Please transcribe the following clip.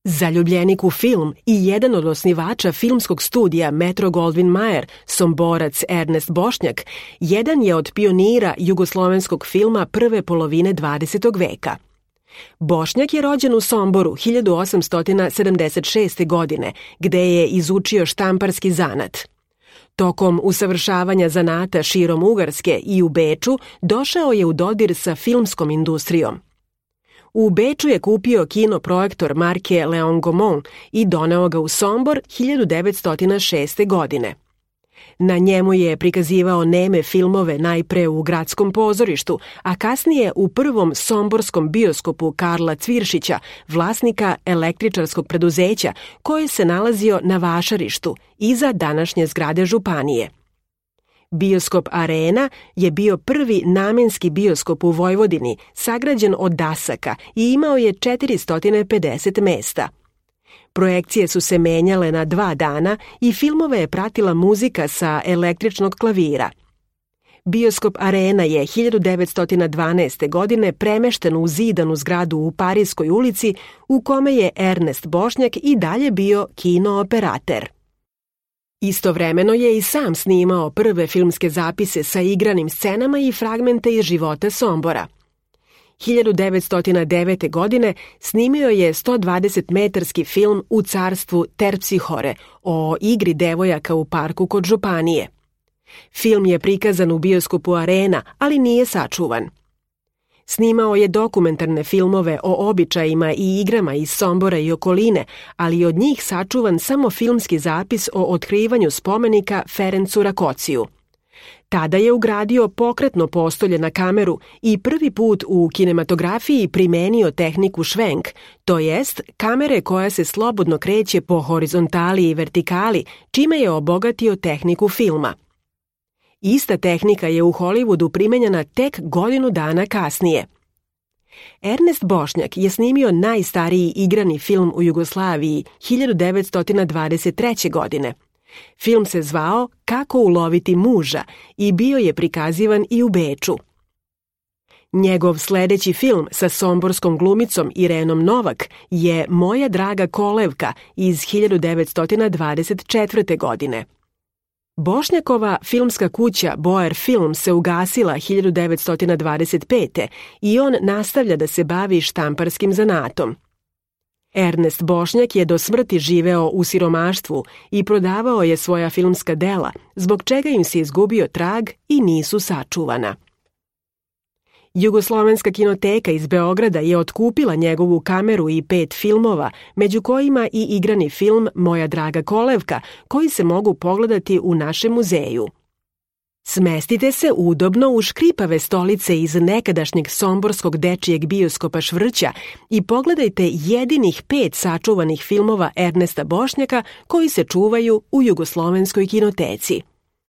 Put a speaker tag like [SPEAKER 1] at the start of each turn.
[SPEAKER 1] Zaljubljenik u film i jedan od osnivača filmskog studija Metro-Goldwyn-Mayer, Somborac Ernest Bošnjak, jedan je od pionira jugoslovenskog filma prve polovine 20. veka. Bošnjak je rođen u Somboru 1876. godine, gde je izučio štamparski zanat. Tokom usavršavanja zanata širom Ugarske i u Beču došao je u dodir sa filmskom industrijom. U Beču je kupio kinoprojektor marke Leon Gaumont i doneo ga u Sombor 1906. godine. Na njemu je prikazivao neme filmove najpre u gradskom pozorištu, a kasnije u prvom somborskom bioskopu Karla Cviršića, vlasnika električarskog preduzeća, koje se nalazio na Vašarištu, iza današnje zgrade Županije. Bioskop Arena je bio prvi namenski bioskop u Vojvodini, sagrađen od dasaka i imao je 450 mesta. Projekcije su se menjale na 2 dana i filmove je pratila muzika sa električnog klavira. Bioskop Arena je 1912. godine premešten u zidanu zgradu u Parijskoj ulici, u kome je Ernest Bošnjak i dalje bio kinooperater. Istovremeno je i sam snimao prve filmske zapise sa igranim scenama i fragmente iz života Sombora. 1909. godine snimio je 120-metarski film U carstvu Terpsihore o igri devojaka u parku kod Županije. Film je prikazan u bioskopu Arena, ali nije sačuvan. Snimao je dokumentarne filmove o običajima i igrama iz Sombora i okoline, ali od njih sačuvan samo filmski zapis o otkrivanju spomenika Ferencu Rakociju. Tada je ugradio pokretno postolje na kameru i prvi put u kinematografiji primenio tehniku švenk, to jest kamere koja se slobodno kreće po horizontali i vertikali, čime je obogatio tehniku filma. Ista tehnika je u Hollywoodu primenjena tek godinu dana kasnije. Ernest Bošnjak je snimio najstariji igrani film u Jugoslaviji 1923. godine. Film se zvao Kako uloviti muža i bio je prikazivan i u Beču. Njegov sledeći film sa somborskom glumicom Irenom Novak je Moja draga kolevka iz 1924. godine. Bošnjakova filmska kuća Boer Film se ugasila 1925. i on nastavlja da se bavi štamparskim zanatom. Ernest Bošnjak je do smrti živeo u siromaštvu i prodavao je svoja filmska dela, zbog čega im se izgubio trag i nisu sačuvana. Jugoslovenska kinoteka iz Beograda je otkupila njegovu kameru i 5 filmova, među kojima i igrani film Moja draga kolevka, koji se mogu pogledati u našem muzeju. Smestite se udobno u škripave stolice iz nekadašnjeg somborskog dečijeg bioskopa Švrća i pogledajte jedinih 5 sačuvanih filmova Ernesta Bošnjaka koji se čuvaju u Jugoslovenskoj kinoteci.